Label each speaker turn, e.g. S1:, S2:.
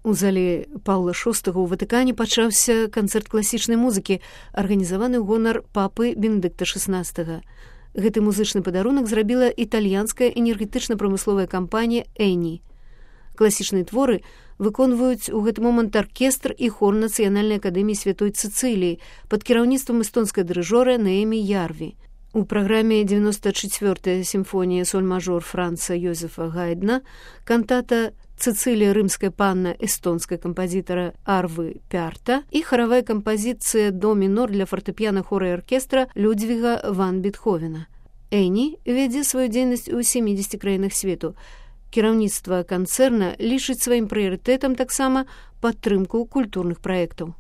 S1: У зале Паўла VI ў Ватыкане пачаўся канцэрт класічнай музыкі, арганізаваны ў гонар папы Бенедыкта XVI. Гэты музычны падарунак зрабіла італьянская энергетычна-прамысловая кампанія «Эні». Класічныя творы выконваюць у гэты момант аркестр і хор Нацыянальнай акадэміі Святой Цыцыліі пад кіраўніцтвам эстонскай дырыжора Неемі Ярві. У праграме 94-я сімфонія соль-мажор Франца Йозефа Гайдна, кантата «Цицилия, рымская панна» эстонская композитора Арвы Пярта и хоровая композиция «До минор» для фортепиано, хора и оркестра Людвига ван Бетховена. Эні вядзе сваю дзейнасць у 70 краінах свету. Кіраўніцтва канцэрна лічыць сваім прыярытэтам таксама падтрымку культурных праектаў.